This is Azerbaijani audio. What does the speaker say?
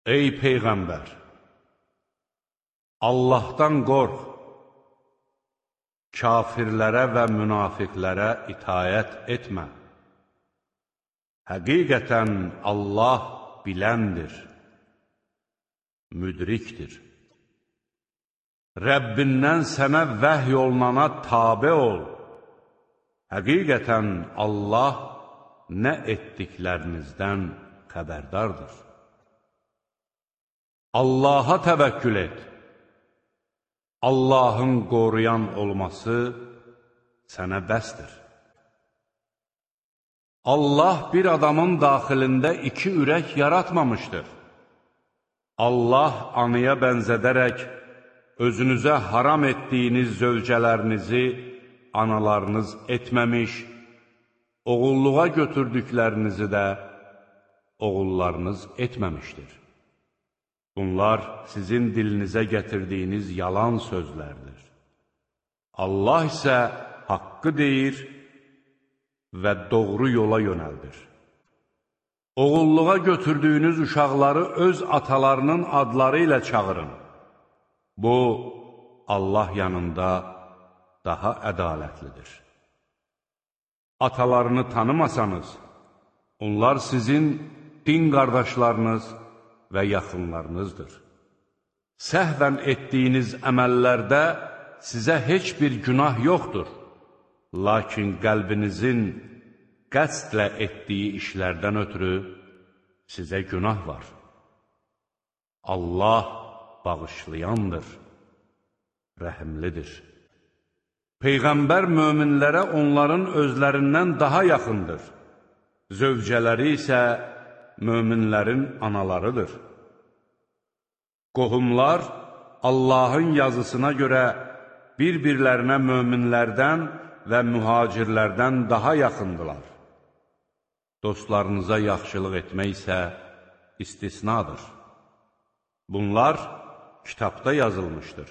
Ey Peyğəmbər! Allahdan qorx, kafirlərə və münafiqlərə itayət etmə. Həqiqətən Allah biləndir, müdrikdir. Rəbbindən sənə vəhy olunana tabe ol. Həqiqətən Allah nə etdiklərinizdən xəbərdardır. Allaha təvəkkül et. Allahın qoruyan olması sənə bəsdir. Allah bir adamın daxilində iki ürək yaratmamışdır. Allah anıya bənzədərək özünüzə haram etdiyiniz zövcələrinizi analarınız etməmiş, oğulluğa götürdüklərinizi də oğullarınız etməmişdir. Bunlar sizin dilinizə gətirdiyiniz yalan sözlərdir. Allah isə haqqı deyir və doğru yola yönəldir. Oğulluğa götürdüyünüz uşaqları öz atalarının adları ilə çağırın. Bu, Allah yanında daha ədalətlidir. Atalarını tanımasanız, onlar sizin din qardaşlarınız və yaxınlarınızdır. Səhvən etdiyiniz əməllərdə sizə heç bir günah yoxdur. Lakin qəlbinizin qəsdlə etdiyi işlərdən ötürü sizə günah var. Allah bağışlayandır, rəhimlidir. Peyğəmbər möminlərə onların özlərindən daha yaxındır. Zövcələri isə möminlərin analarıdır. Qohumlar Allahın yazısına görə bir-birlərinə möminlərdən və mühacirlərdən daha yaxındılar. Dostlarınıza yaxşılıq etmək isə istisnadır. Bunlar kitabda yazılmışdır.